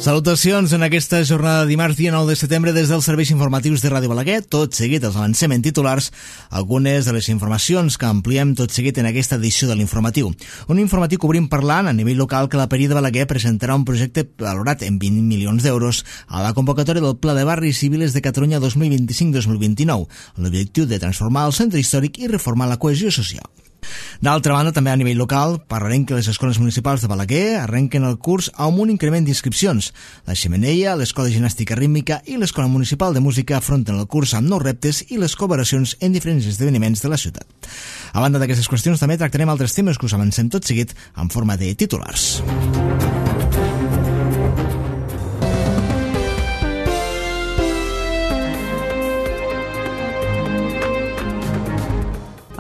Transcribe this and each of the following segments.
Salutacions en aquesta jornada de dimarts, dia 9 de setembre, des dels serveis informatius de Ràdio Balaguer. Tot seguit els avancem en titular algunes de les informacions que ampliem tot seguit en aquesta edició de l'informatiu. Un informatiu que obrim parlant a nivell local que la Peria de Balaguer presentarà un projecte valorat en 20 milions d'euros a la convocatòria del Pla de Barris i Viles de Catalunya 2025-2029, amb l'objectiu de transformar el centre històric i reformar la cohesió social. D'altra banda, també a nivell local, parlarem que les escoles municipals de Balaguer arrenquen el curs amb un increment d'inscripcions. La Xemeneia, l'Escola de Ginàstica Rítmica i l'Escola Municipal de Música afronten el curs amb nous reptes i les col·laboracions en diferents esdeveniments de la ciutat. A banda d'aquestes qüestions, també tractarem altres temes que us avancem tot seguit en forma de titulars.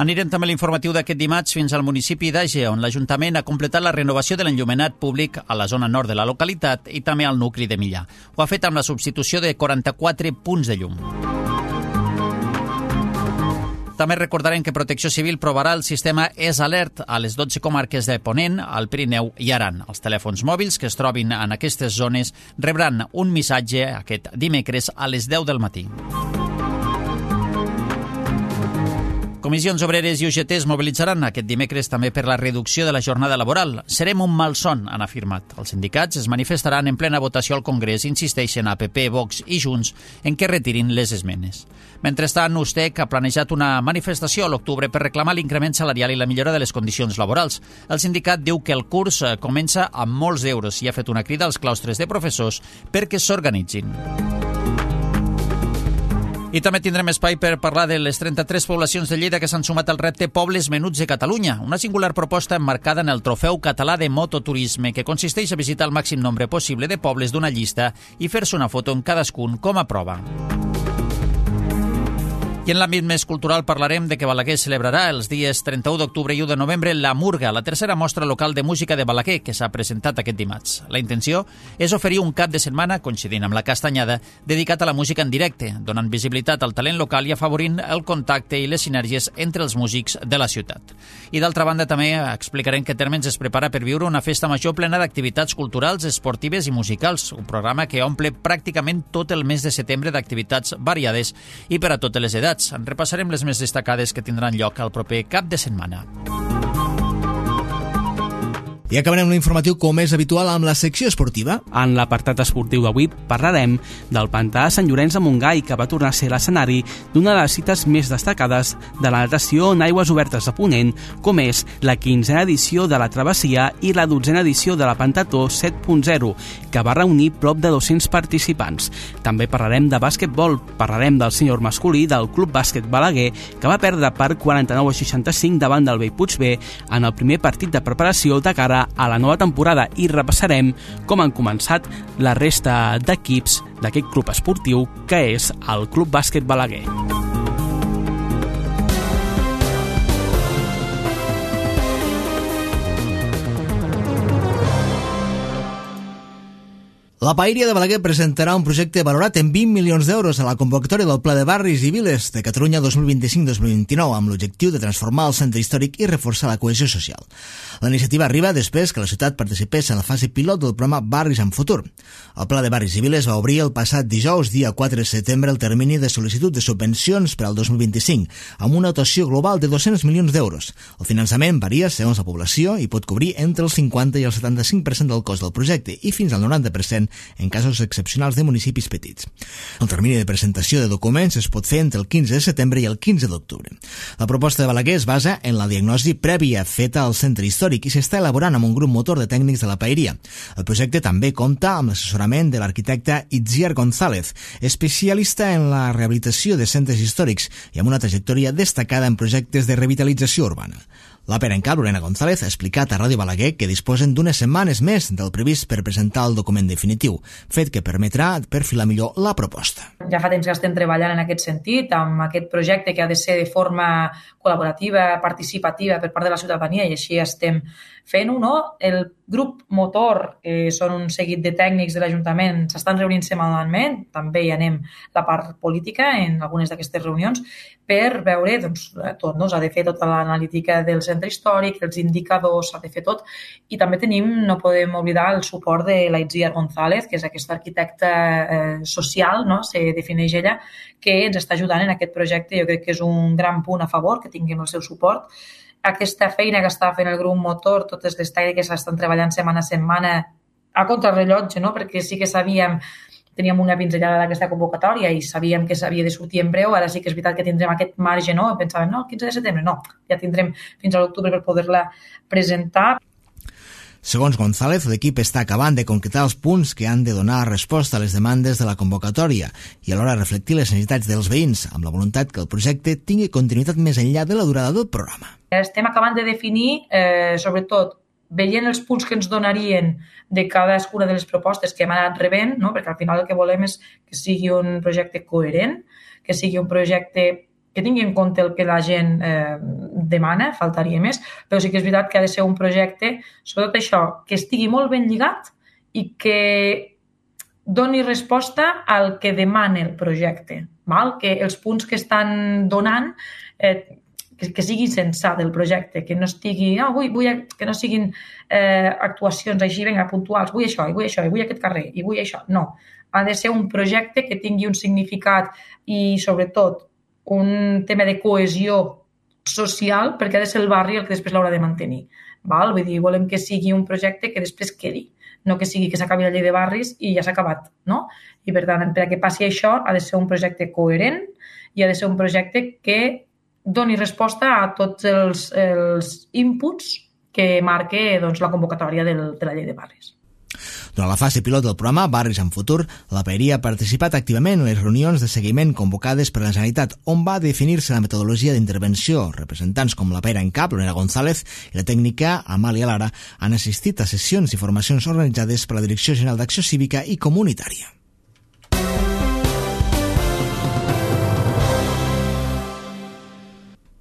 Anirem també a l'informatiu d'aquest dimarts fins al municipi d'Àger, on l'Ajuntament ha completat la renovació de l'enllumenat públic a la zona nord de la localitat i també al nucli de Millà. Ho ha fet amb la substitució de 44 punts de llum. També recordarem que Protecció Civil provarà el sistema ES-Alert a les 12 comarques de Ponent, al Pirineu i Aran. Els telèfons mòbils que es trobin en aquestes zones rebran un missatge aquest dimecres a les 10 del matí. Comissions Obreres i UGT es mobilitzaran aquest dimecres també per la reducció de la jornada laboral. Serem un malson, han afirmat. Els sindicats es manifestaran en plena votació al Congrés, insisteixen a PP, Vox i Junts en què retirin les esmenes. Mentrestant, USTEC ha planejat una manifestació a l'octubre per reclamar l'increment salarial i la millora de les condicions laborals. El sindicat diu que el curs comença amb molts euros i ha fet una crida als claustres de professors perquè s'organitzin. I també tindrem espai per parlar de les 33 poblacions de Lleida que s'han sumat al repte Pobles Menuts de Catalunya, una singular proposta emmarcada en el Trofeu Català de Mototurisme, que consisteix a visitar el màxim nombre possible de pobles d'una llista i fer-se una foto en cadascun com a prova. I en l'àmbit més cultural parlarem de que Balaguer celebrarà els dies 31 d'octubre i 1 de novembre la Murga, la tercera mostra local de música de Balaguer, que s'ha presentat aquest dimarts. La intenció és oferir un cap de setmana, coincidint amb la Castanyada, dedicat a la música en directe, donant visibilitat al talent local i afavorint el contacte i les sinergies entre els músics de la ciutat. I d'altra banda també explicarem que Térmens es prepara per viure una festa major plena d'activitats culturals, esportives i musicals, un programa que omple pràcticament tot el mes de setembre d'activitats variades i per a totes les edats. En repassarem les més destacades que tindran lloc al proper cap de setmana. I acabarem l'informatiu com és habitual amb la secció esportiva. En l'apartat esportiu d'avui parlarem del pantà de Sant Llorenç de Montgai, que va tornar a ser l'escenari d'una de les cites més destacades de la natació en aigües obertes de Ponent, com és la 15a edició de la Travessia i la 12a edició de la Pentató 7.0, que va reunir prop de 200 participants. També parlarem de bàsquetbol, parlarem del sènior masculí del Club Bàsquet Balaguer, que va perdre per 49-65 davant del Bellpuig en el primer partit de preparació de cara a la nova temporada i repassarem com han començat la resta d'equips d'aquest club esportiu que és el Club Bàsquet Balaguer. La Paeria de Balaguer presentarà un projecte valorat en 20 milions d'euros a la convocatòria del Pla de Barris i Viles de Catalunya 2025-2029 amb l'objectiu de transformar el centre històric i reforçar la cohesió social. La iniciativa arriba després que la ciutat participés en la fase pilot del programa Barris en Futur. El Pla de Barris i Viles va obrir el passat dijous, dia 4 de setembre, el termini de sol·licitud de subvencions per al 2025, amb una dotació global de 200 milions d'euros. El finançament varia segons la població i pot cobrir entre el 50 i el 75% del cost del projecte i fins al 90% en casos excepcionals de municipis petits. El termini de presentació de documents es pot fer entre el 15 de setembre i el 15 d'octubre. La proposta de Balaguer es basa en la diagnosi prèvia feta al centre històric i s'està elaborant amb un grup motor de tècnics de la Paeria. El projecte també compta amb l'assessorament de l'arquitecte Itziar González, especialista en la rehabilitació de centres històrics i amb una trajectòria destacada en projectes de revitalització urbana. La perencal Lorena González ha explicat a Ràdio Balaguer que disposen d'unes setmanes més del previst per presentar el document definitiu, fet que permetrà perfilar millor la proposta. Ja fa temps que estem treballant en aquest sentit, amb aquest projecte que ha de ser de forma col·laborativa, participativa per part de la ciutadania, i així estem fent-ho, no? El grup motor, que són un seguit de tècnics de l'Ajuntament, s'estan reunint setmanalment, també hi anem la part política en algunes d'aquestes reunions, per veure, doncs, tot, no? S'ha de fer tota l'analítica dels centre històric, els indicadors, s'ha de fer tot. I també tenim, no podem oblidar, el suport de la Itziar González, que és aquesta arquitecta social, no? Se defineix ella, que ens està ajudant en aquest projecte. Jo crec que és un gran punt a favor, que tinguem el seu suport. Aquesta feina que està fent el grup motor, totes les tècniques estan treballant setmana a setmana a contrarrellotge, no? Perquè sí que sabíem, teníem una pinzellada d'aquesta convocatòria i sabíem que s'havia de sortir en breu, ara sí que és veritat que tindrem aquest marge, no? Pensàvem, no, el 15 de setembre, no, ja tindrem fins a l'octubre per poder-la presentar. Segons González, l'equip està acabant de concretar els punts que han de donar resposta a les demandes de la convocatòria i alhora reflectir les necessitats dels veïns, amb la voluntat que el projecte tingui continuïtat més enllà de la durada del programa. Estem acabant de definir, sobretot, veient els punts que ens donarien de cadascuna de les propostes que hem anat rebent, no? Perquè al final el que volem és que sigui un projecte coherent, que sigui un projecte que tingui en compte el que la gent demana, faltaria més, però sí que és veritat que ha de ser un projecte, sobretot això, que estigui molt ben lligat i que doni resposta al que demana el projecte, val? Que els punts que estan donant que sigui sensat el projecte, que no estigui, que no siguin actuacions així, vinga, puntuals, vull això, i vull això, i vull aquest carrer, i vull això. No, ha de ser un projecte que tingui un significat i, sobretot, un tema de cohesió social, perquè ha de ser el barri el que després l'haurà de mantenir. Val? Vull dir, volem que sigui un projecte que després quedi, no que sigui que s'acabi la llei de barris i ja s'ha acabat, no? I, per tant, perquè passi això, ha de ser un projecte coherent i ha de ser un projecte que doni resposta a tots els inputs que marque doncs, la convocatòria de la llei de barris. Durant la fase pilot del programa Barris en Futur, la Paeria ha participat activament en les reunions de seguiment convocades per la Generalitat, on va definir-se la metodologia d'intervenció. Representants com la Paera en Cap, Lorena González i la tècnica Amàlia Lara han assistit a sessions i formacions organitzades per la Direcció General d'Acció Cívica i Comunitària.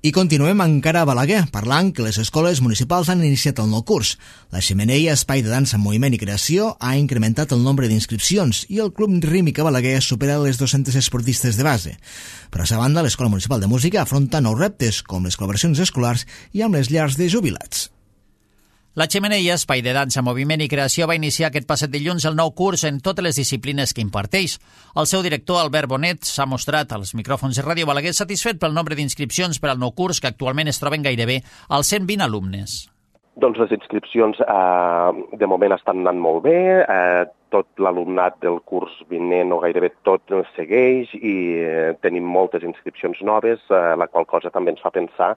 I continuem encara a Balaguer, parlant que les escoles municipals han iniciat el nou curs. La Xemeneia, espai de dansa, moviment i creació, ha incrementat el nombre d'inscripcions i el Club Rítmic a Balaguer supera les 200 esportistes de base. Per a sa banda, l'Escola Municipal de Música afronta nous reptes, com les col·laboracions escolars i amb les llars de jubilats. La Xemeneia, espai de dansa, moviment i creació, va iniciar aquest passat dilluns el nou curs en totes les disciplines que imparteix. El seu director, Albert Bonet, s'ha mostrat als micròfons de Ràdio Balaguer satisfet pel nombre d'inscripcions per al nou curs, que actualment es troben gairebé als 120 alumnes. Doncs les inscripcions de moment estan anant molt bé, tot l'alumnat del curs vinent o gairebé tot segueix i tenim moltes inscripcions noves, la qual cosa també ens fa pensar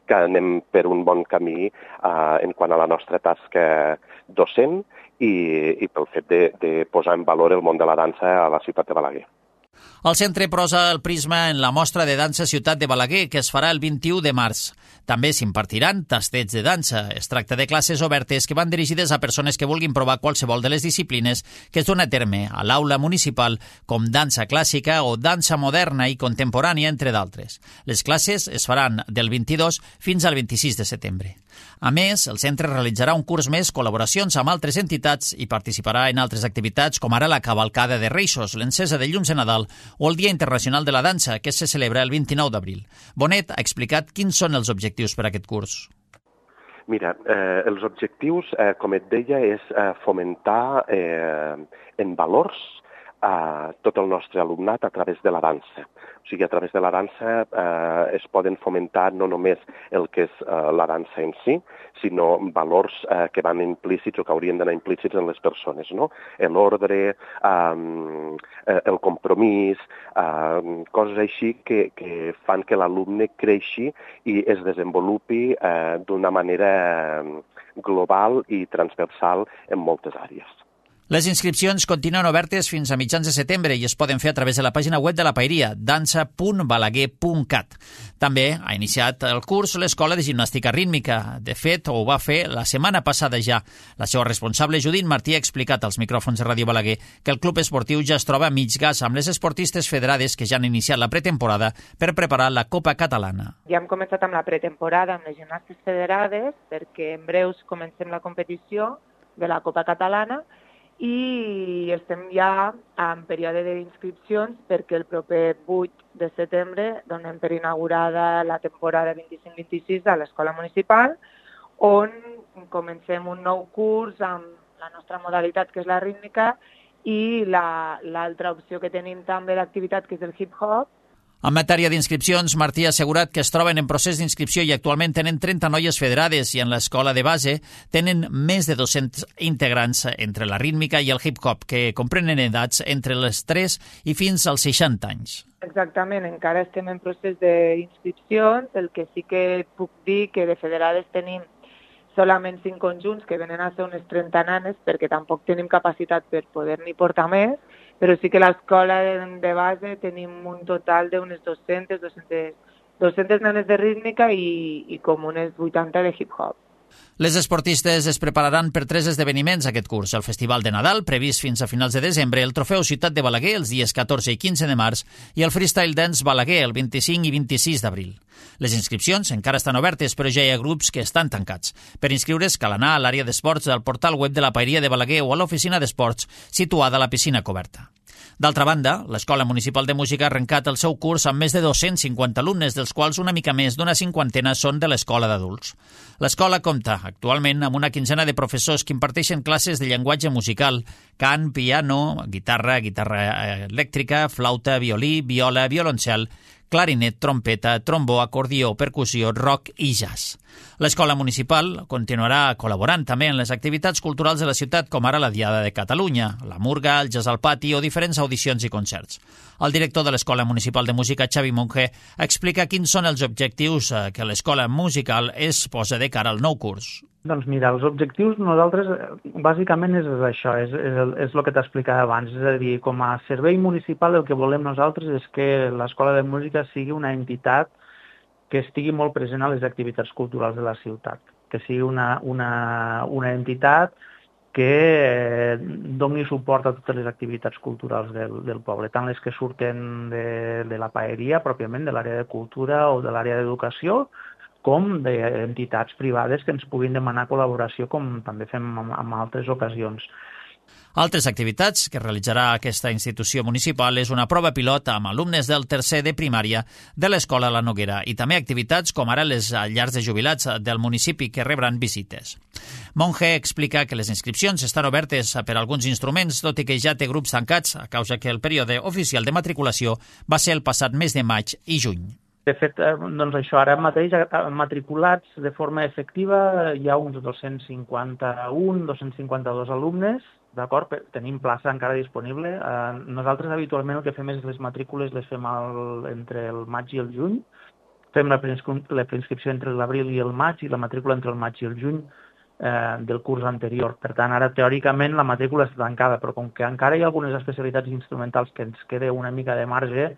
que anem per un bon camí en quant a la nostra tasca docent i pel fet de posar en valor el món de la dansa a la ciutat de Balaguer. El centre posa el prisma en la mostra de dansa Ciutat de Balaguer, que es farà el 21 de març. També s'impartiran tastets de dansa. Es tracta de classes obertes que van dirigides a persones que vulguin provar qualsevol de les disciplines que es dona a terme a l'aula municipal, com dansa clàssica o dansa moderna i contemporània, entre d'altres. Les classes es faran del 22 fins al 26 de setembre. A més, el centre realitzarà un curs més, col·laboracions amb altres entitats i participarà en altres activitats com ara la cavalcada de Reixos, l'encesa de llums de Nadal o el Dia Internacional de la Dansa, que se celebra el 29 d'abril. Bonet ha explicat quins són els objectius per a aquest curs. Mira, els objectius, com et deia, és fomentar en valors a tot el nostre alumnat a través de la dansa. O sigui, a través de la dansa es poden fomentar no només el que és la dansa en si, sinó valors que van implícits o que haurien d'anar implícits en les persones, no? L'ordre, el compromís, coses així que fan que l'alumne creixi i es desenvolupi d'una manera global i transversal en moltes àrees. Les inscripcions continuen obertes fins a mitjans de setembre i es poden fer a través de la pàgina web de la Paeria, dansa.balaguer.cat. També ha iniciat el curs l'Escola de Gimnàstica Rítmica. De fet, ho va fer la setmana passada ja. La seva responsable, Judit Martí, ha explicat als micròfons de Ràdio Balaguer que el club esportiu ja es troba a mig gas amb les esportistes federades que ja han iniciat la pretemporada per preparar la Copa Catalana. Ja hem començat amb la pretemporada amb les gimnastes federades perquè en breus comencem la competició de la Copa Catalana i estem ja en període d'inscripcions perquè el proper 8 de setembre donem per inaugurada la temporada 25-26 a l'Escola Municipal on comencem un nou curs amb la nostra modalitat, que és la rítmica, i l'altra opció que tenim també d'activitat, que és el hip-hop. En matèria d'inscripcions, Martí ha assegurat que es troben en procés d'inscripció i actualment tenen 30 noies federades i en l'escola de base tenen més de 200 integrants entre la rítmica i el hip-hop, que comprenen edats entre les 3 i fins als 60 anys. Exactament, encara estem en procés d'inscripcions, el que sí que puc dir que de federades tenim solament 5 conjunts, que venen a ser unes 30 nanes, perquè tampoc tenim capacitat per poder-n'hi portar més, però sí que a l'escola de base tenim un total d'unes 200 nanes de rítmica i com unes 80 de hip-hop. Les esportistes es prepararan per 3 esdeveniments aquest curs: el Festival de Nadal, previst fins a finals de desembre, el Trofeu Ciutat de Balaguer els dies 14 i 15 de març i el Freestyle Dance Balaguer el 25 i 26 d'abril. Les inscripcions encara estan obertes, però ja hi ha grups que estan tancats. Per inscriure's cal anar a l'àrea d'esports del portal web de la Paeria de Balaguer o a l'oficina d'esports situada a la piscina coberta. D'altra banda, l'Escola Municipal de Música ha arrencat el seu curs amb més de 250 alumnes, dels quals una mica més d'una 50 són de l'escola d'adults. L'escola compta actualment amb una quinzena de professors que imparteixen classes de llenguatge musical, cant, piano, guitarra elèctrica, flauta, violí, viola, violoncel, clarinet, trompeta, trombó, acordió, percussió, rock i jazz. L'escola municipal continuarà col·laborant també en les activitats culturals de la ciutat, com ara la Diada de Catalunya, la Murga, el Jazz al Pati o diferents audicions i concerts. El director de l'Escola Municipal de Música, Xavi Monge, explica quins són els objectius que l'escola musical es posa de cara al nou curs. Doncs mira, els objectius nosaltres bàsicament és això, és el que t'explicava abans, és a dir, com a servei municipal el que volem nosaltres és que l'Escola de Música sigui una entitat que estigui molt present a les activitats culturals de la ciutat, que sigui una entitat que doni suport a totes les activitats culturals del poble, tant les que surten de la paeria, pròpiament, de l'àrea de cultura o de l'àrea d'educació, com d'entitats privades que ens puguin demanar col·laboració, com també fem en altres ocasions. Altres activitats que realitzarà aquesta institució municipal és una prova pilot amb alumnes del tercer de primària de l'Escola La Noguera i també activitats com ara les llars de jubilats del municipi que rebran visites. Monge explica que les inscripcions estan obertes per a alguns instruments, tot i que ja té grups tancats a causa que el període oficial de matriculació va ser el passat mes de maig i juny. De fet, doncs això, ara mateix matriculats de forma efectiva hi ha uns 252 alumnes, d'acord? Tenim plaça encara disponible. Nosaltres habitualment el que fem és les matrícules les fem entre el maig i el juny. Fem la preinscripció entre l'abril i el maig i la matrícula entre el maig i el juny del curs anterior. Per tant, ara teòricament la matrícula està tancada, però com que encara hi ha algunes especialitats instrumentals que ens queda una mica de marge,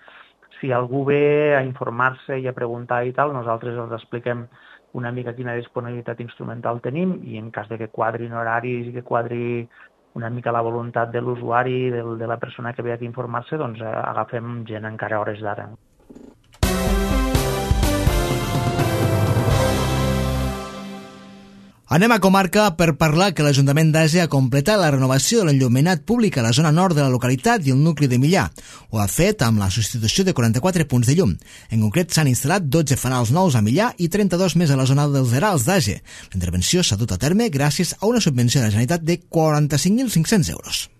si algú ve a informar-se i a preguntar i tal, nosaltres els expliquem una mica quina disponibilitat instrumental tenim i en cas de que quadrin horaris i que quadri una mica la voluntat de l'usuari, de la persona que ve aquí a informar-se, doncs agafem gent encara a hores d'ara. Anem a comarca per parlar que l'Ajuntament d'Àsia ha completat la renovació de l'enllumenat públic a la zona nord de la localitat i el nucli de Millà. Ho ha fet amb la substitució de 44 punts de llum. En concret, s'han instal·lat 12 fanals nous a Millà i 32 més a la zona dels Herals d'Àsia. La intervenció s'ha dut a terme gràcies a una subvenció de la Generalitat de 45.500 euros.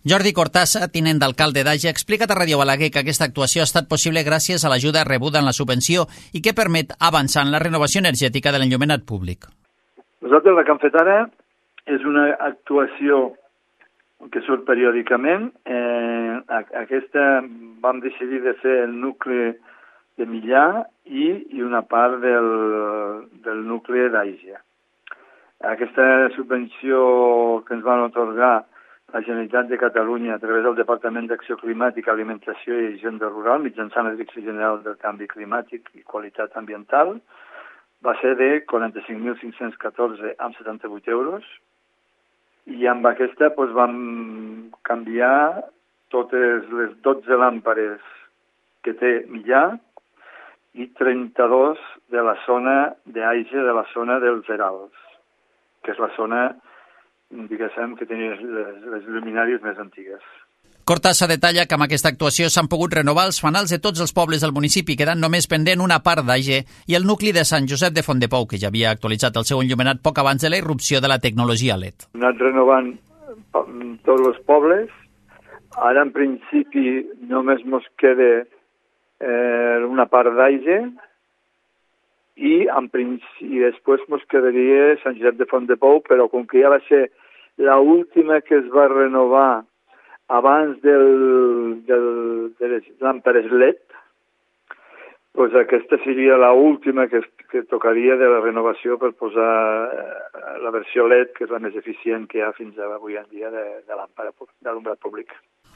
Jordi Cortassa, tinent d'alcalde d'Àgia, ha explicat a Ràdio Balaguer que aquesta actuació ha estat possible gràcies a l'ajuda rebuda en la subvenció i que permet avançar en la renovació energètica de l'enllumenat públic. Nosaltres el que hem fet ara és una actuació que surt periòdicament. Aquesta vam decidir de fer el nucli de Millà i una part del nucli d'Àgia. Aquesta subvenció que ens van atorgar la Generalitat de Catalunya a través del Departament d'Acció Climàtica, Alimentació i Hisenda Rural, mitjançant la Direcció General del Canvi Climàtic i Qualitat Ambiental, va ser de 45.514 amb 78 euros i amb aquesta vam canviar totes les 12 làmpades que té Millà i 32 de la zona d'Àgia, de la zona dels Herals, que és la zona, diguéssim, que tenia les luminàries més antigues. Cortassa detalla que amb aquesta actuació s'han pogut renovar els fanals de tots els pobles del municipi, quedant només pendent una part d'Age i el nucli de Sant Josep de Fontdepou, que ja havia actualitzat el seu enllumenat poc abans de la irrupció de la tecnologia LED. Hem anat renovant tots els pobles. Ara, en principi, només mos queda una part d'Age i després mos quedaria Sant Josep de Fontdepou, però com que ja va ser l'última que es va renovar abans de les làmpades LED, doncs aquesta seria l'última que tocaria de la renovació per posar la versió LED, que és la més eficient que hi ha fins avui en dia de làmpada d'alumbrat públic.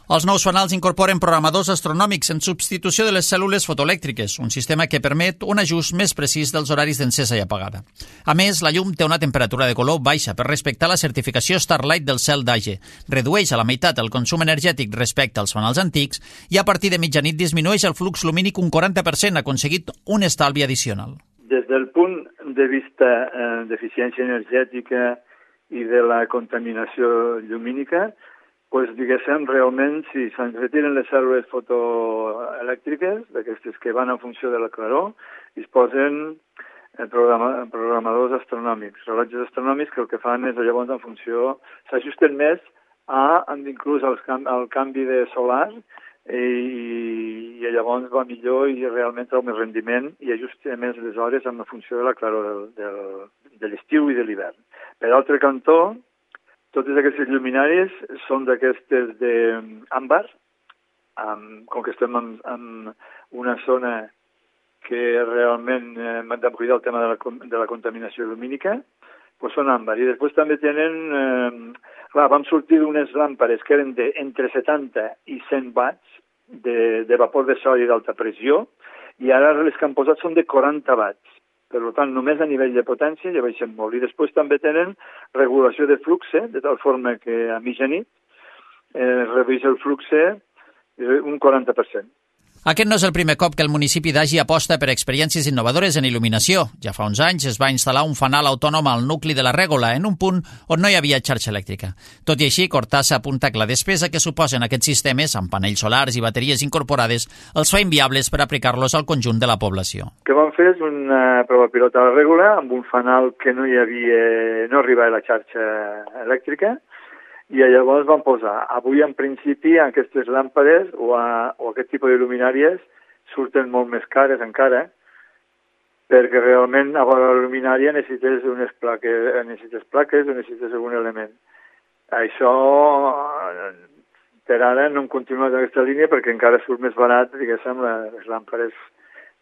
Els nous fanals incorporen programadors astronòmics en substitució de les cèl·lules fotoelèctriques, un sistema que permet un ajust més precís dels horaris d'encesa i apagada. A més, la llum té una temperatura de color baixa per respectar la certificació Starlight del cel d'Age, redueix a la meitat el consum energètic respecte als fanals antics i a partir de mitjanit disminueix el flux lumínic un 40%, aconseguit un estalvi addicional. Des del punt de vista d'eficiència energètica i de la contaminació llumínica, pues, diguéssim, realment, si se'n retiren les cèl·lules fotoelèctriques, d'aquestes que van en funció de la claror, i es posen programadors astronòmics, rellotges astronòmics que el que fan és, llavors, en funció, s'ajusten més inclús al canvi de solar i llavors va millor i realment treu més rendiment i ajusta més les hores en funció de la claror de l'estiu i de l'hivern. Per altre cantó, totes aquestes lluminàries són d'aquestes d'àmbar, com que estem en una zona que realment hem de cuidar el tema de la contaminació lumínica, doncs són àmbar. I després també tenen... vam sortir d'unes làmpades que eren entre 70 i 100 watts de vapor de sodi d'alta pressió i ara les que han posat són de 40 watts. Per tant, només a nivell de potència ja baixen molt. I després també tenen regulació de flux, de tal forma que a mitjanit redueix el flux un 40%. Aquest no és el primer cop que el municipi d'Age aposta per experiències innovadores en il·luminació. Ja fa uns anys es va instal·lar un fanal autònom al nucli de la Règola, en un punt on no hi havia xarxa elèctrica. Tot i així, Cortassa apunta que la despesa que suposen aquests sistemes, amb panells solars i bateries incorporades, els fa inviables per aplicar-los al conjunt de la població. El que vam fer és una prova pilota a la Règola amb un fanal que no arribava a la xarxa elèctrica, i llavors vam posar, avui en principi aquestes làmpades o aquest tipus de luminàries surten molt més cares encara, perquè realment a la luminària necessites plaques o necessites algun element. Això per ara no hem continuat aquesta línia perquè encara surt més barat, diguéssim, les làmpades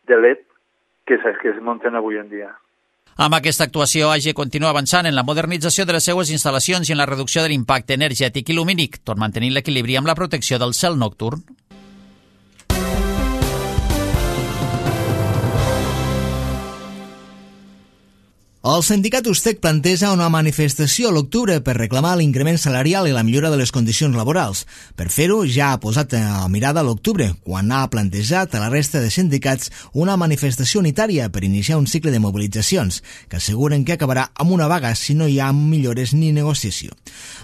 de LED que es munten avui en dia. Amb aquesta actuació, Age continua avançant en la modernització de les seues instal·lacions i en la reducció de l'impacte energètic i lumínic, tot mantenint l'equilibri amb la protecció del cel nocturn. El sindicat Ustec planteja una manifestació a l'octubre per reclamar l'increment salarial i la millora de les condicions laborals. Per fer-ho, ja ha posat a mirada a l'octubre, quan ha plantejat a la resta de sindicats una manifestació unitària per iniciar un cicle de mobilitzacions, que asseguren que acabarà amb una vaga si no hi ha millores ni negociació.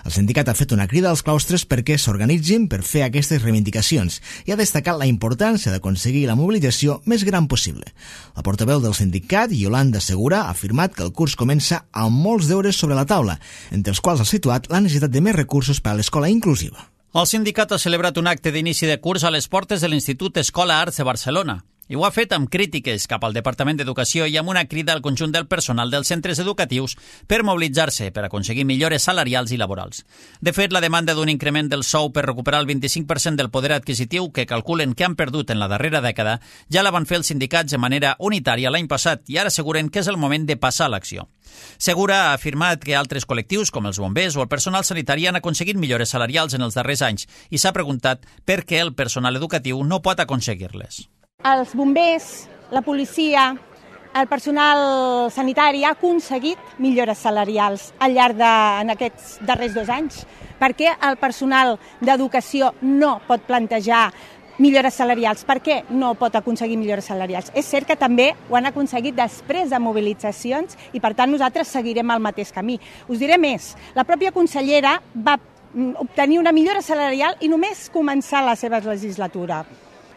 El sindicat ha fet una crida als claustres perquè s'organitzin per fer aquestes reivindicacions i ha destacat la importància d'aconseguir la mobilització més gran possible. La portaveu del sindicat, Yolanda Segura, ha afirmat que el curs comença amb molts deures sobre la taula, entre els quals ha situat la necessitat de més recursos per a l'escola inclusiva. El sindicat ha celebrat un acte d'inici de curs a les portes de l'Institut Escola Arts de Barcelona. I ho ha fet amb crítiques cap al Departament d'Educació i amb una crida al conjunt del personal dels centres educatius per mobilitzar-se per aconseguir millores salarials i laborals. De fet, la demanda d'un increment del sou per recuperar el 25% del poder adquisitiu que calculen que han perdut en la darrera dècada ja la van fer els sindicats de manera unitària l'any passat i ara asseguren que és el moment de passar a l'acció. Segura ha afirmat que altres col·lectius, com els bombers o el personal sanitari, han aconseguit millores salarials en els darrers anys i s'ha preguntat per què el personal educatiu no pot aconseguir-les. Els bombers, la policia, el personal sanitari ha aconseguit millores salarials al llarg en aquests darrers 2 anys. Per què el personal d'educació no pot plantejar millores salarials? Per què no pot aconseguir millores salarials? És cert que també ho han aconseguit després de mobilitzacions i, per tant, nosaltres seguirem el mateix camí. Us diré més, la pròpia consellera va obtenir una millora salarial i només començar la seva legislatura.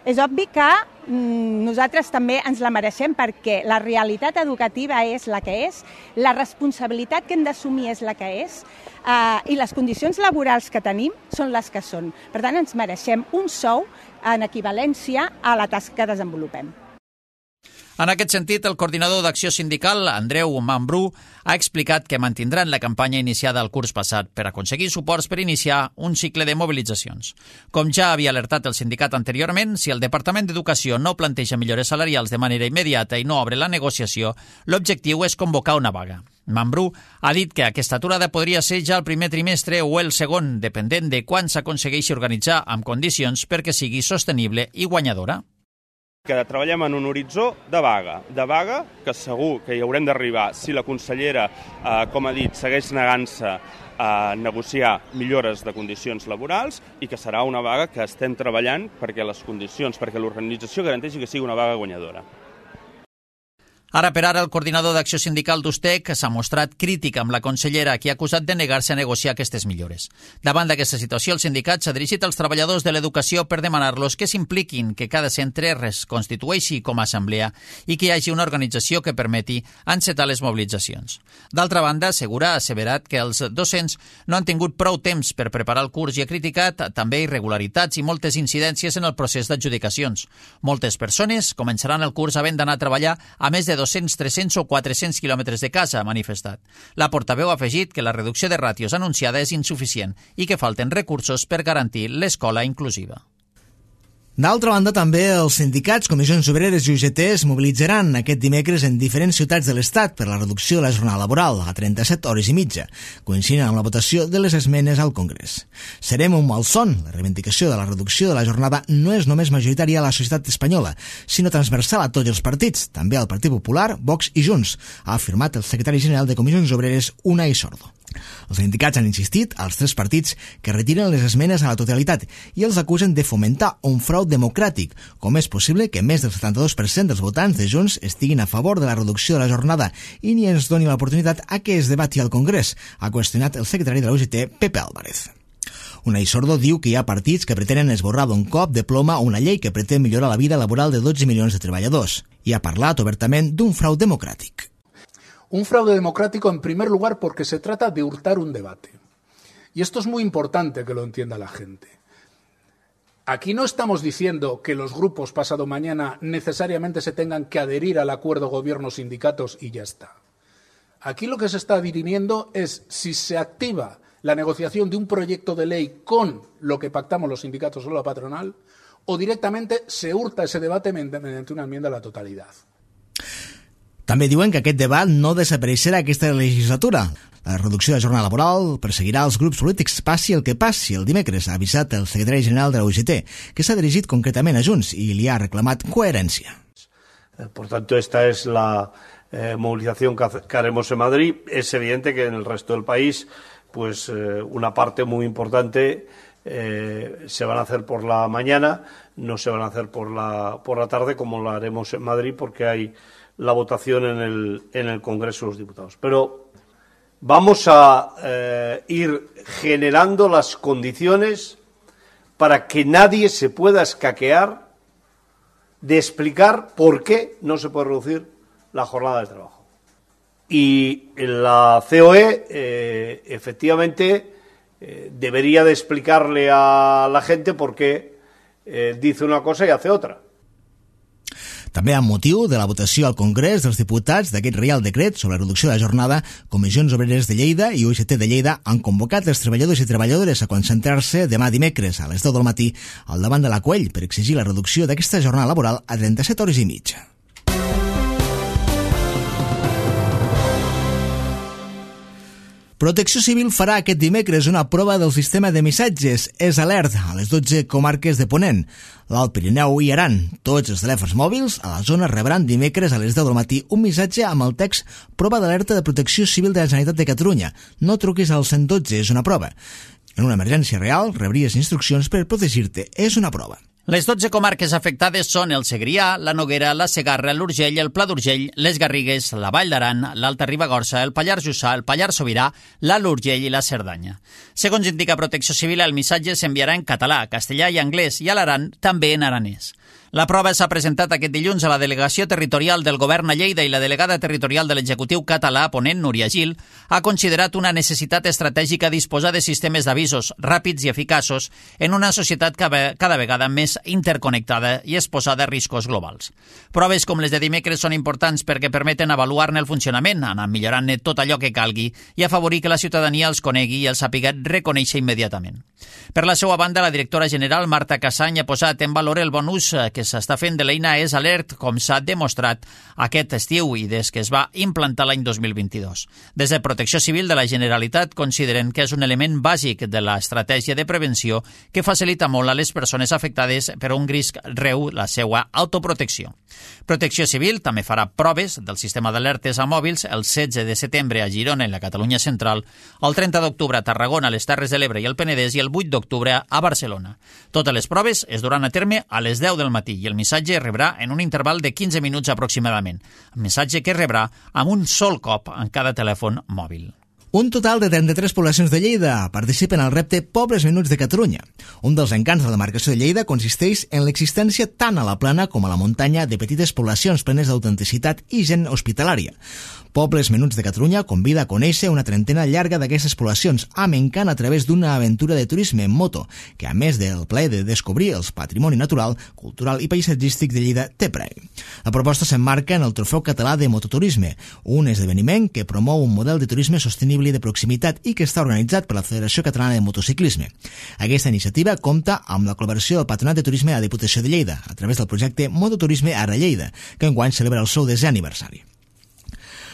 És obvi que nosaltres també ens la mereixem perquè la realitat educativa és la que és, la responsabilitat que hem d'assumir és la que és i les condicions laborals que tenim són les que són. Per tant, ens mereixem un sou en equivalència a la tasca que desenvolupem. En aquest sentit, el coordinador d'Acció Sindical, Andreu Mambrú, ha explicat que mantindran la campanya iniciada el curs passat per aconseguir suports per iniciar un cicle de mobilitzacions. Com ja havia alertat el sindicat anteriorment, si el Departament d'Educació no planteja millores salarials de manera immediata i no obre la negociació, l'objectiu és convocar una vaga. Mambrú ha dit que aquesta aturada podria ser ja el primer trimestre o el segon, dependent de quan s'aconsegueixi organitzar amb condicions perquè sigui sostenible i guanyadora. Que treballem en un horitzó de vaga que segur que hi haurem d'arribar si la consellera, com ha dit, segueix negant-se a negociar millores de condicions laborals i que serà una vaga que estem treballant perquè les condicions, perquè l'organització garanteixi que sigui una vaga guanyadora. Ara per ara, el coordinador d'Acció Sindical d'Ustec s'ha mostrat crític amb la consellera, qui ha acusat de negar-se a negociar aquestes millores. Davant d'aquesta situació, el sindicat s'ha dirigit als treballadors de l'educació per demanar-los que s'impliquin, que cada centre es constitueixi com a assemblea i que hi hagi una organització que permeti encetar les mobilitzacions. D'altra banda, Segura ha asseverat que els docents no han tingut prou temps per preparar el curs i ha criticat també irregularitats i moltes incidències en el procés d'adjudicacions. Moltes persones començaran el curs havent d'anar a treballar a més de 200, 300 o 400 quilòmetres de casa, ha manifestat. La portaveu ha afegit que la reducció de ràtios anunciada és insuficient i que falten recursos per garantir l'escola inclusiva. D'altra banda, també els sindicats, comissions obreres i UGT es mobilitzaran aquest dimecres en diferents ciutats de l'Estat per la reducció de la jornada laboral a 37 hores i mitja, coincidint amb la votació de les esmenes al Congrés. Serem un malson. La reivindicació de la reducció de la jornada no és només majoritària a la societat espanyola, sinó transversal a tots els partits, també al Partit Popular, Vox i Junts, ha afirmat el secretari general de Comissions Obreres, Unai Sordo. Els sindicats han insistit als tres partits que retiren les esmenes a la totalitat i els acusen de fomentar un frau democràtic. Com és possible que més del 72% dels votants de Junts estiguin a favor de la reducció de la jornada i ni ens doni l'oportunitat a que es debati al Congrés, ha qüestionat el secretari de la UGT, Pepe Álvarez. Unai Sordo diu que hi ha partits que pretenen esborrar d'un cop de ploma una llei que pretén millorar la vida laboral de 12 milions de treballadors i ha parlat obertament d'un frau democràtic. Un fraude democrático, en primer lugar, porque se trata de hurtar un debate. Y esto es muy importante que lo entienda la gente. Aquí no estamos diciendo que los grupos pasado mañana necesariamente se tengan que adherir al acuerdo gobierno-sindicatos y ya está. Aquí lo que se está dirimiendo es si se activa la negociación de un proyecto de ley con lo que pactamos los sindicatos o la patronal, o directamente se hurta ese debate mediante una enmienda a la totalidad. També diuen que aquest debat no desapareixerà aquesta legislatura. La reducció de la jornada laboral perseguirà els grups polítics passi el que passi. El dimecres ha avisat el secretari general de la UGT, que s'ha dirigit concretament a Junts i li ha reclamat coherència. Por tanto, esta es la movilización que haremos en Madrid. Es evidente que en el resto del país, pues una parte muy importante se van a hacer por la mañana, no se van a hacer por la tarde como lo haremos en Madrid porque hay la votación en el Congreso de los Diputados. Pero vamos a ir generando las condiciones para que nadie se pueda escaquear de explicar por qué no se puede reducir la jornada de trabajo. Y la COE efectivamente debería de explicarle a la gente por qué dice una cosa y hace otra. També amb motiu de la votació al Congrés dels Diputats d'aquest Reial Decret sobre la reducció de la jornada, Comissions Obreres de Lleida i UGT de Lleida han convocat els treballadors i treballadores a concentrar-se demà dimecres a les 10 del matí al davant de la Coell per exigir la reducció d'aquesta jornada laboral a 37 hores i mitja. Protecció Civil farà aquest dimecres una prova del sistema de missatges S-Alert a les 12 comarques de Ponent, l'Alt Pirineu i Aran. Tots els telèfons mòbils a la zona rebran dimecres a les 10 del matí un missatge amb el text Prova d'alerta de Protecció Civil de la Generalitat de Catalunya. No truquis al 112, és una prova. En una emergència real rebries instruccions per protegir-te, és una prova. Les 12 comarques afectades són el Segrià, la Noguera, la Segarra, l'Urgell, el Pla d'Urgell, les Garrigues, la Vall d'Aran, l'Alta Ribagorça, el Pallars Jussà, el Pallars Sobirà, l'Alt Urgell i la Cerdanya. Segons indica Protecció Civil, el missatge s'enviarà en català, castellà i anglès i a l'Aran també en aranès. La prova s'ha presentat aquest dilluns a la delegació territorial del Govern a Lleida i la delegada territorial de l'executiu català ponent, Núria Gil, ha considerat una necessitat estratègica disposar de sistemes d'avisos ràpids i eficaços en una societat cada vegada més interconnectada i exposada a riscos globals. Proves com les de dimecres són importants perquè permeten avaluar-ne el funcionament, anar millorant-ne tot allò que calgui i afavorir que la ciutadania els conegui i els sàpiga reconèixer immediatament. Per la seva banda, la directora general Marta Cassany ha posat en valor el bon ús que s'està fent de l'eina És Alert, com s'ha demostrat aquest estiu i des que es va implantar l'any 2022. Des de Protecció Civil de la Generalitat consideren que és un element bàsic de l'estratègia de prevenció que facilita molt a les persones afectades per un risc greu la seva autoprotecció. Protecció Civil també farà proves del sistema d'alertes a mòbils el 16 de setembre a Girona i la Catalunya Central, el 30 d'octubre a Tarragona, les Terres de l'Ebre i el Penedès i el 8 d'octubre a Barcelona. Totes les proves es duran a terme a les 10 del matí i el missatge es rebrà en un interval de 15 minuts aproximadament. El missatge que es rebrà amb un sol cop en cada telèfon mòbil. Un total de 33 poblacions de Lleida participen al repte Pobles Menuts de Catalunya. Un dels encants de la demarcació de Lleida consisteix en l'existència tant a la plana com a la muntanya de petites poblacions plenes d'autenticitat i gent hospitalària. Pobles Menuts de Catalunya convida a conèixer una trentena llarga d'aquestes poblacions amb encant a través d'una aventura de turisme en moto, que a més del plaer de descobrir el patrimoni natural, cultural i paisatgístic de Lleida té premi. La proposta s'emmarca en el Trofeu Català de Mototurisme, un esdeveniment que promou un model de turisme sostenible i de proximitat i que està organitzat per la Federació Catalana de Motociclisme. Aquesta iniciativa compta amb la col·laboració del Patronat de Turisme de la Diputació de Lleida a través del projecte Mototurisme Ara Lleida, que enguany celebra el seu 10è aniversari.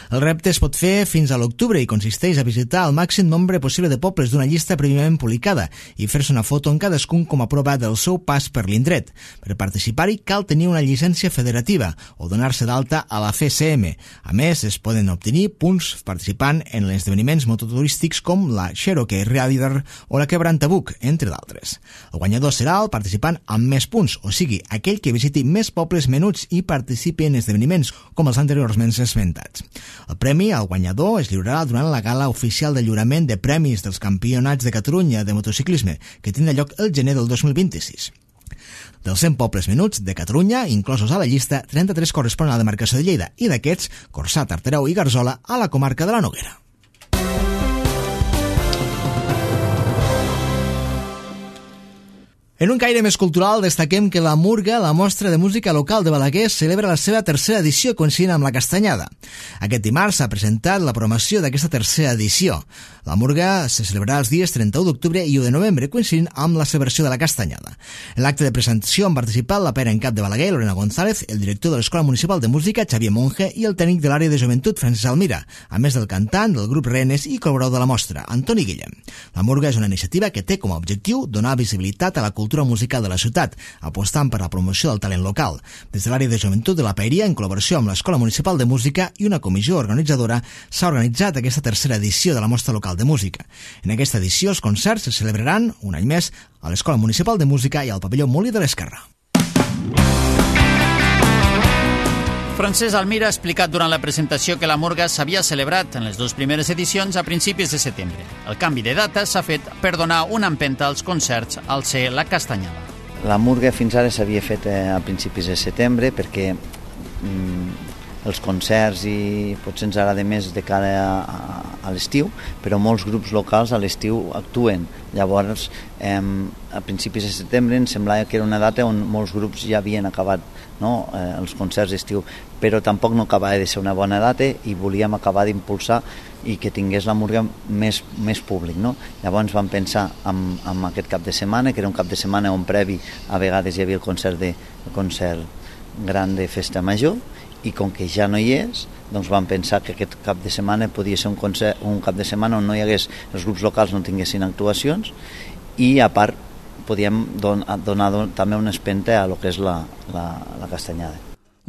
El repte es pot fer fins a l'octubre i consisteix a visitar el màxim nombre possible de pobles d'una llista prèviament publicada i fer-se una foto en cadascun com a prova del seu pas per l'indret. Per participar-hi cal tenir una llicència federativa o donar-se d'alta a la FCM. A més, es poden obtenir punts participant en esdeveniments mototurístics com la Cherokee Rider o la Quebrantabuc, entre d'altres. El guanyador serà el participant amb més punts, o sigui, aquell que visiti més pobles menuts i participi en esdeveniments com els anteriorment esmentats. El premi al guanyador es lliurarà durant la gala oficial de lliurament de premis dels Campionats de Catalunya de motociclisme, que tindrà lloc el gener del 2026. Dels 100 pobles menuts de Catalunya, inclosos a la llista, 33 corresponen a la demarcació de Lleida i d'aquests, Corçà, Tartareu i Garzola a la comarca de la Noguera. En un caire més cultural, destaquem que la Murga, la mostra de música local de Balaguer, celebra la seva tercera edició coincidint amb la Castanyada. Aquest dimarts s'ha presentat la programació d'aquesta tercera edició. La Murga se celebrarà els dies 31 d'octubre i 1 de novembre, coincidint amb la celebració de la Castanyada. En l'acte de presentació han participat la pera en cap de Balaguer, Lorena González, el director de l'Escola Municipal de Música, Xavier Monge, i el tècnic de l'àrea de joventut, Francesc Almira, a més del cantant del grup Renes i col·laborador de la mostra, Antoni Guillem. La Murga és una iniciativa que té com a objectiu donar visibilitat a la cultura musical de la ciutat, apostant per la promoció del talent local. Des de l'àrea de joventut de la Paeria, en col·laboració amb l'Escola Municipal de Música i una comissió organitzadora, s'ha organitzat aquesta tercera edició de la mostra local de música. En aquesta edició, els concerts se celebraran, un any més, a l'Escola Municipal de Música i al pavelló Molí de l'Esquerra. Francesc Almira ha explicat durant la presentació que la Murga s'havia celebrat en les dues primeres edicions a principis de setembre. El canvi de data s'ha fet per donar una empenta als concerts al ser la Castanyada. La Murga fins ara s'havia fet a principis de setembre perquè els concerts i potser ens agrada més de cara a l'estiu, però molts grups locals a l'estiu actuen. Llavors, a principis de setembre em semblava que era una data on molts grups ja havien acabat els concerts d'estiu, però tampoc no acabava de ser una bona data i volíem acabar d'impulsar i que tingués la Murga més públic. Llavors vam pensar en aquest cap de setmana, que era un cap de setmana on previ a vegades hi havia el concert gran de Festa Major, i com que ja no hi és, doncs vam pensar que aquest cap de setmana podia ser un cap de setmana on no hi hagués, els grups locals no tinguessin actuacions i a part podíem donar també una espenta a lo que és la Castanyada.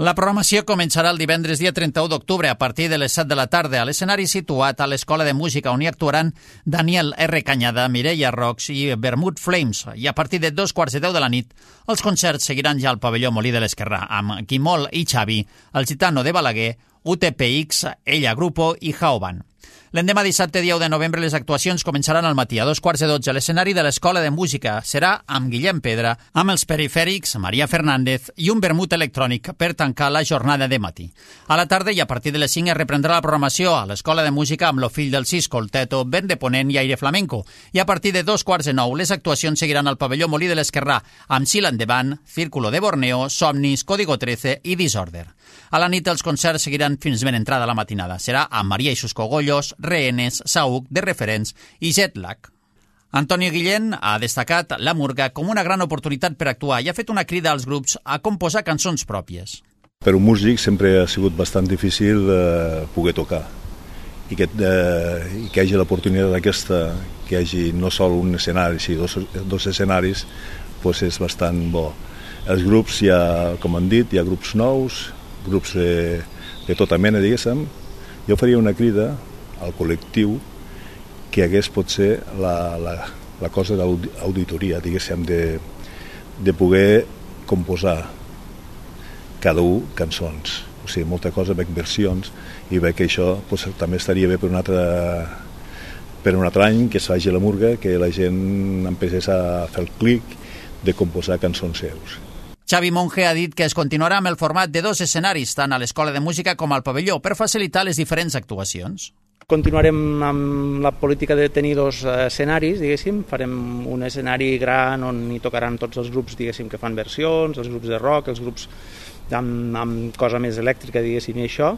La programació començarà el divendres dia 31 d'octubre a partir de les 7 de la tarda a l'escenari situat a l'Escola de Música on hi actuaran Daniel R. Cañada, Mireia Rox i Vermouth Flames i a partir de 2:15 de la nit els concerts seguiran ja al pavelló Molí de l'Esquerrà amb Quimol i Xavi, el Gitano de Balaguer, UTPX, Ella Grupo i Jaoban. L'endemà dissabte, dia 1 de novembre, les actuacions començaran al matí a 2:15 a l'escenari de l'Escola de Música. Serà amb Guillem Pedra, amb els Perifèrics, Maria Fernández i un vermut electrònic per tancar la jornada de matí. A la tarda i a partir de les 5 es reprendrà la programació a l'Escola de Música amb Lo fill del Cisco, el Teto, Vent de Ponent i Aire Flamenco. I a partir de 2:15 les actuacions seguiran al pavelló Molí de l'Esquerrà amb Sil Endavant, Círculo de Borneo, Somnis, Código 13 i Disorder. A la nit els concerts seguiran fins ben entrada la matinada. Serà amb Maria i sus Cogollos, Rehenes, Saúc, De Referents i Jetlag. Antonio Guillén ha destacat la Murga com una gran oportunitat per actuar i ha fet una crida als grups a composar cançons pròpies. Per un músic sempre ha sigut bastant difícil poder tocar i que hi hagi l'oportunitat aquesta, que hi hagi no sol un escenari, sinó dos escenaris, doncs és bastant bo. Els grups, com han dit, hi ha grups nous, grups de tota mena, diguéssim. Jo faria una crida al col·lectiu que hagués potser la cosa d'auditoria, diguéssim, de poder composar cada un cançons. O sigui, molta cosa, veig versions, i veig que això també estaria bé per un altre any, que es faci la Murga, que la gent empecés a fer el clic de composar cançons seus. Xavi Monge ha dit que es continuarà amb el format de 2 escenaris, tant a l'Escola de Música com al pavelló, per facilitar les diferents actuacions. Continuarem amb la política de tenir 2 escenaris, diguéssim. Farem un escenari gran on hi tocaran tots els grups, diguéssim, que fan versions, els grups de rock, els grups amb cosa més elèctrica, diguéssim, i això.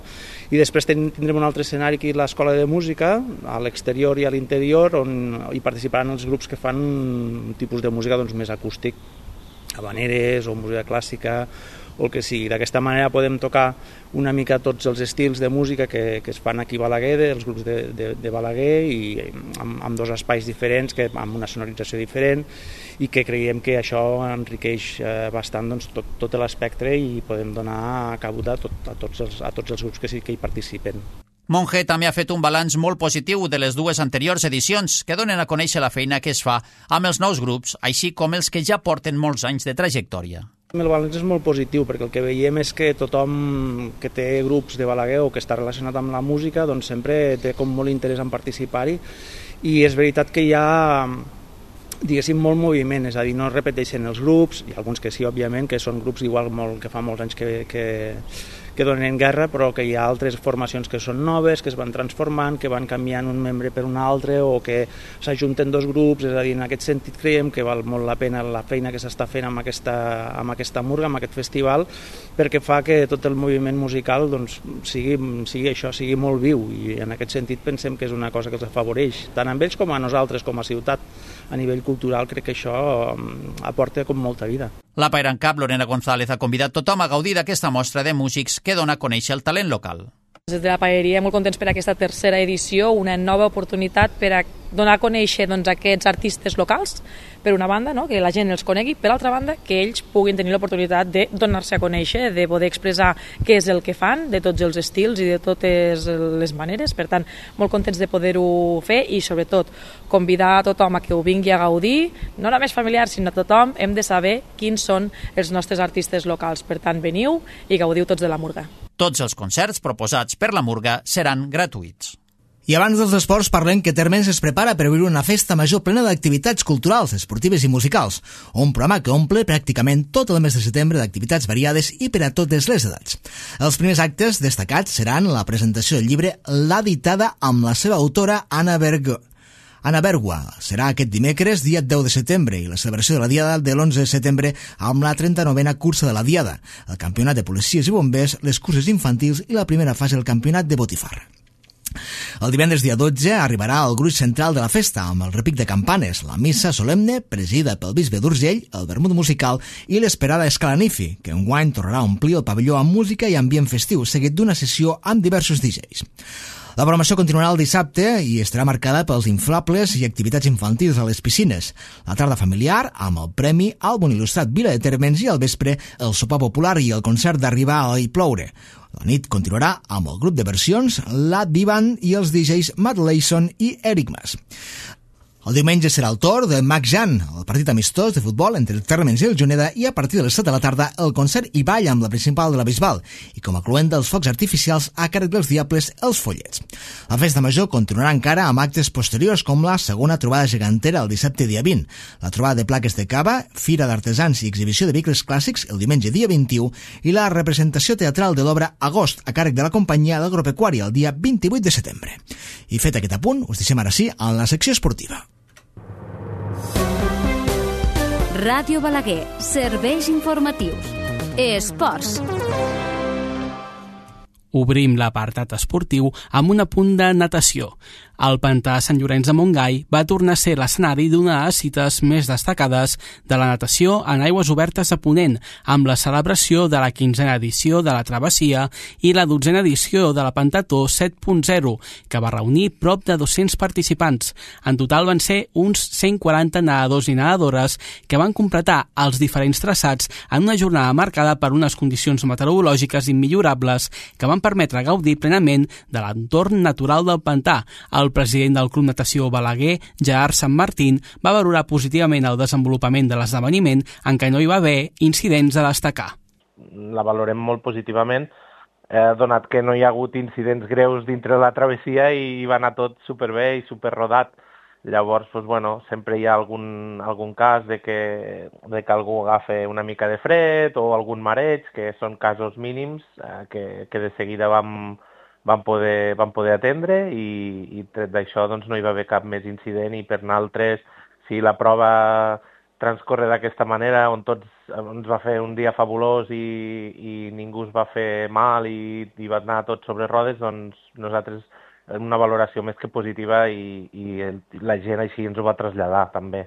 I després tindrem un altre escenari aquí a l'Escola de Música, a l'exterior i a l'interior, on hi participaran els grups que fan un tipus de música més acústic, habaneres o música clàssica o el que sigui. D'aquesta manera podem tocar una mica tots els estils de música que es fan aquí a Balaguer, els grups de Balaguer, i amb 2 espais diferents, amb una sonorització diferent, i que creiem que això enriqueix bastant tot l'espectre i podem donar cabuda a tots els grups que hi participen. Monge també ha fet un balanç molt positiu de les 2 anteriors edicions que donen a conèixer la feina que es fa amb els nous grups, així com els que ja porten molts anys de trajectòria. El balanç és molt positiu perquè el que veiem és que tothom que té grups de Balaguer o que està relacionat amb la música doncs sempre té com molt interès en participar-hi, i és veritat que hi ha, diguéssim, molt moviment, és a dir, no es repeteixen els grups, hi ha alguns que sí, òbviament, que són grups igual que fa molts anys que donen guerra, però que hi ha altres formacions que són noves, que es van transformant, que van canviant un membre per un altre o que s'ajunten 2 grups, és a dir, en aquest sentit creiem que val molt la pena la feina que s'està fent amb aquesta Murga, amb aquest festival, perquè fa que tot el moviment musical doncs, sigui molt viu, i en aquest sentit pensem que és una cosa que els afavoreix, tant a ells com a nosaltres, com a ciutat. A nivell cultural crec que això aporta com molta vida. La Paira en Cap, Lorena González, ha convidat tothom a gaudir d'aquesta mostra de músics que dona a conèixer el talent local. Des de la Paeria molt contents per aquesta 3a edició, una nova oportunitat per a donar a conèixer aquests artistes locals, per una banda, que la gent els conegui, per altra banda, que ells puguin tenir l'oportunitat de donar-se a conèixer, de poder expressar què és el que fan, de tots els estils i de totes les maneres. Per tant, molt contents de poder-ho fer i, sobretot, convidar a tothom a que ho vingui a gaudir, no només familiars, sinó a tothom. Hem de saber quins són els nostres artistes locals. Per tant, veniu i gaudiu tots de la Murga. Tots els concerts proposats per la Murga seran gratuïts. I abans dels esports parlem que Térmens es prepara per viure una festa major plena d'activitats culturals, esportives i musicals, un programa que omple pràcticament tot el mes de setembre d'activitats variades i per a totes les edats. Els primers actes destacats seran la presentació del llibre La Ditada amb la seva autora Anna Bergua. Serà aquest dimecres, dia 10 de setembre, i la celebració de la Diada de l'11 de setembre amb la 39a cursa de la Diada, el campionat de policies i bombers, les curses infantils i la primera fase del campionat de botifarra. El divendres dia 12 arribarà el gruix central de la festa amb el repic de campanes, la missa solemne presidida pel bisbe d'Urgell, el vermut musical i l'esperada escalanifi, que enguany tornarà a omplir el pavelló amb música i ambient festiu, seguit d'una sessió amb diversos DJs. La programació continuarà el dissabte i estarà marcada pels inflables i activitats infantils a les piscines. La tarda familiar, amb el premi Àlbum Il·lustrat Vila de Térmens i al vespre el sopar popular i el concert d'Arribar a Ploure. La nit continuarà amb el grup de versions, la Divan i els DJs Matt Layson i Eric Mas. El diumenge serà el torn de Mac Jan, el partit amistós de futbol entre el Térmens i el Juneda, i a partir de les 7 de la tarda el concert i ball amb la principal de la Bisbal i com a cluent dels focs artificials a càrrec dels Diables, els Follets. La festa major continuarà encara amb actes posteriors com la segona trobada gegantera el dissabte dia 20, la trobada de plaques de cava, fira d'artesans i exhibició de vehicles clàssics el diumenge dia 21 i la representació teatral de l'obra Agost a càrrec de la companyia d'agropecuària el dia 28 de setembre. I fet aquest apunt, us deixem ara sí en la secció esportiva. Ràdio Balaguer, serveis informatius. Esports. Obrim l'apartat esportiu amb un apunt de natació. El pantà Sant Llorenç de Montgai va tornar a ser l'escenari d'una de les cites més destacades de la natació en aigües obertes a Ponent, amb la celebració de la 15a edició de la Travessia i la 12a edició de la Pentató 7.0, que va reunir prop de 200 participants. En total van ser uns 140 nedadors i nedadores que van completar els diferents traçats en una jornada marcada per unes condicions meteorològiques immillorables que van permetre gaudir plenament de l'entorn natural del pantà. El president del Club Natació Balaguer, Gerard Sant Martín, va valorar positivament el desenvolupament de l'esdeveniment en què no hi va haver incidents a destacar. La valorem molt positivament, donat que no hi ha hagut incidents greus dintre la travessia i va anar tot superbé i superrodat. Llavors, sempre hi ha algun cas de que algú agafa una mica de fred o algun mareig, que són casos mínims que de seguida vam poder atendre i tret d'això no hi va haver cap més incident i per nosaltres, si la prova transcorre d'aquesta manera on tots ens va fer un dia fabulós i ningú es va fer mal i va anar tot sobre rodes, doncs nosaltres una valoració més que positiva i la gent així ens ho va traslladar també.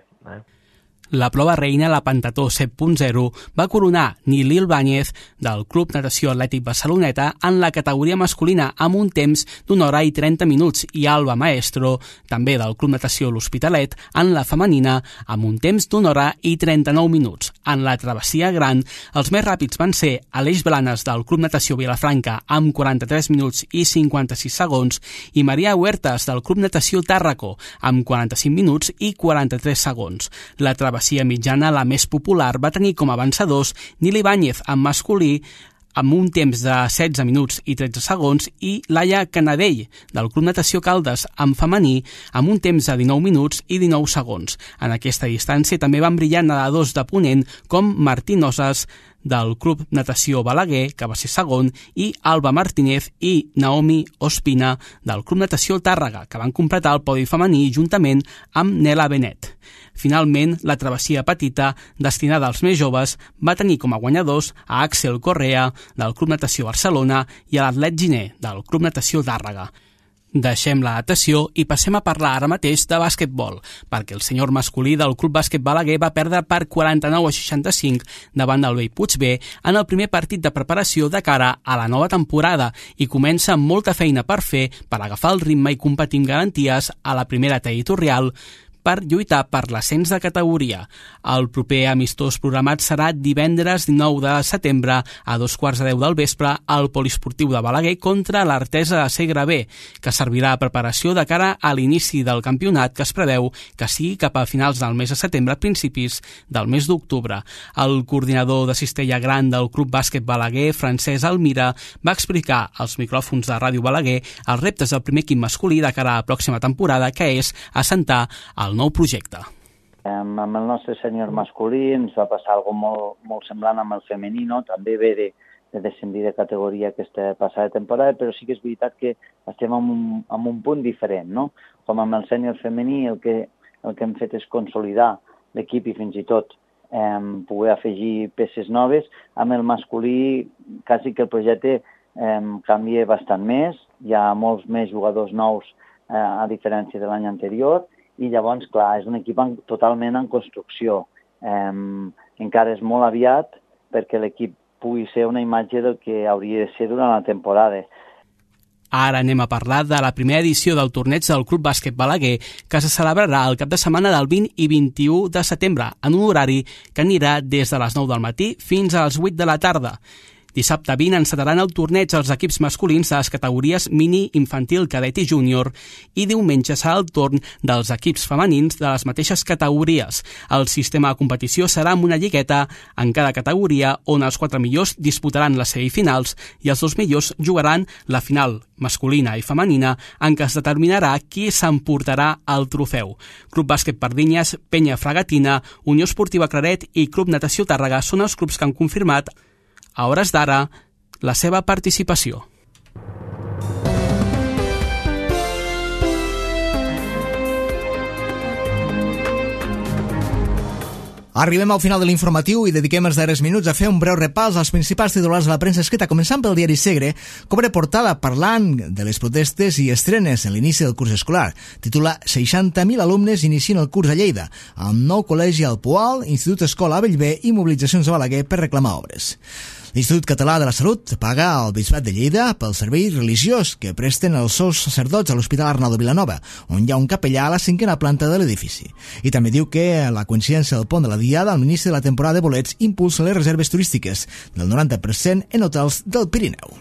La prova reina, la Pentató 7.0, va coronar Nil Ibáñez del Club Natació Atlètic Barceloneta en la categoria masculina amb un temps d'1 hora i 30 minuts i Alba Maestro, també del Club Natació L'Hospitalet, en la femenina amb un temps d'1 hora i 39 minuts. En la travessia gran, els més ràpids van ser Aleix Blanes del Club Natació Vilafranca amb 43 minuts i 56 segons i Maria Huertas del Club Natació Tàrraco amb 45 minuts i 43 segons. La travessia mitjana, la més popular, va tenir com a vencedors Nil Ibáñez en masculí amb un temps de 16 minuts i 13 segons i Laia Canadell del Club Natació Caldes en femení amb un temps de 19 minuts i 19 segons. En aquesta distància també van brillar nedadors de Ponent com Martí Nosas del Club Natació Balaguer, que va ser segon, i Alba Martínez i Naomi Ospina del Club Natació Tàrrega, que van completar el podi femení juntament amb Nela Benet. Finalment, la travessia petita, destinada als més joves, va tenir com a guanyadors a Àxel Correa del Club Natació Barcelona i a l'Atlet Giner del Club Natació Tàrrega. Deixem la natació i passem a parlar ara mateix de bàsquetbol, perquè el senyor masculí del Club Bàsquet Balaguer va perdre per 49 a 65 davant del Bellpuig-B en el primer partit de preparació de cara a la nova temporada i comença amb molta feina per fer per agafar el ritme i competir amb garanties a la primera territorial per lluitar per l'ascens de categoria. El proper amistós programat serà divendres 19 de setembre a 2:15 del vespre al Poliesportiu de Balaguer contra l'Artesa de Segre B, que servirà de preparació de cara a l'inici del campionat que es preveu que sigui cap a finals del mes de setembre, principis del mes d'octubre. El coordinador de Cistella Gran del Club Bàsquet Balaguer, Francesc Almira, va explicar als micròfons de Ràdio Balaguer els reptes del primer equip masculí de cara a la pròxima temporada, que és assentar el nou projecte. Amb el nostre sènior masculí ens va passar alguna cosa molt semblant amb el femení, també ve de descendir de categoria aquesta passada temporada, però sí que és veritat que estem en un punt diferent, no? Com amb el sènior femení el que hem fet és consolidar l'equip i fins i tot poder afegir peces noves. Amb el masculí quasi que el projecte canvia bastant més, hi ha molts més jugadors nous a diferència de l'any anterior, i llavors, clar, és un equip totalment en construcció. Encara és molt aviat perquè l'equip pugui ser una imatge del que hauria de ser durant la temporada. Ara anem a parlar de la primera edició del torneig del Club Bàsquet Balaguer, que se celebrarà el cap de setmana del 20 i 21 de setembre, en un horari que anirà des de les 9 del matí fins a les 8 de la tarda. Dissabte 20 encetaran el torneig els equips masculins de les categories mini, infantil, cadet i júnior i diumenge serà el torn dels equips femenins de les mateixes categories. El sistema de competició serà amb una lligueta en cada categoria on els 4 millors disputaran les semifinals i els 2 millors jugaran la final masculina i femenina en què es determinarà qui s'emportarà el trofeu. Club Bàsquet Pardinyes, Penya Fragatina, Unió Esportiva Claret i Club Natació Tàrrega són els clubs que han confirmat a hores d'ara la seva participació. Arribem al final de l'informatiu i dediquem els darrers minuts a fer un breu repàs als principals titulars de la premsa escrita, començant pel diari Segre, que obre portada parlant de les protestes i estrenes en l'inici del curs escolar. Titula 60.000 alumnes inicien el curs a Lleida, amb nou col·legi al Poal, Institut Escola a Bellver i mobilitzacions a Balaguer per reclamar obres. L'Institut Català de la Salut paga al Bisbat de Lleida pel servei religiós que presten els seus sacerdots a l'Hospital Arnau de Vilanova, on hi ha un capellà a la 5a planta de l'edifici. I també diu que la coincidència del pont de la Diada al inici de la temporada de bolets impulsa les reserves turístiques del 90% en hotels del Pirineu.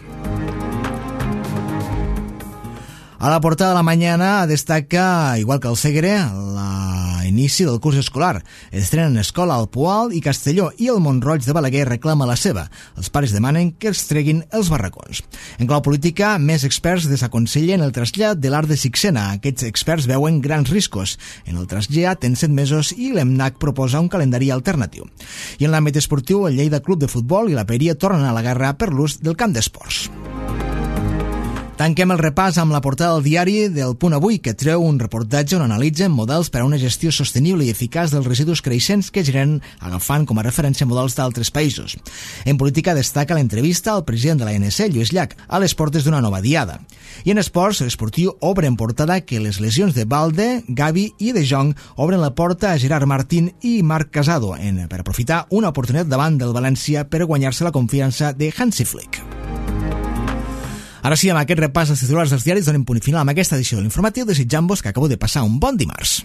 A la portada de la mañana destaca, igual que el Segre, l'inici del curs escolar. Estrenen escola al Poal i Castelló i el Mont-roig de Balaguer reclama la seva. Els pares demanen que els treguin els barracons. En clau política, més experts desaconsellen el trasllat de l'Arc de Sixena. Aquests experts veuen grans riscos en el trasllat en 7 mesos i l'EMNAC proposa un calendari alternatiu. I en l'àmbit esportiu, el Lleida Club de Futbol i la Peria tornen a la guerra per l'ús del camp d'esports. Tanquem el repàs amb la portada del diari del Punt Avui, que treu un reportatge on analitzen models per a una gestió sostenible i eficaç dels residus creixents que generen, agafant com a referència models d'altres països. En política destaca l'entrevista al president de l'ANC, Lluís Llach, a les portes d'una nova diada. I en esports, l'esportiu obre en portada que les lesions de Balde, Gavi i De Jong obren la porta a Gerard Martín i Marc Casado per aprofitar una oportunitat davant del València per guanyar-se la confiança de Hansi Flick. Ara sí, amb aquest repàs dels titulars dels diaris donem punt final amb aquesta edició de l'informatiu, desitjant-vos que acabeu de passar un bon dimarts.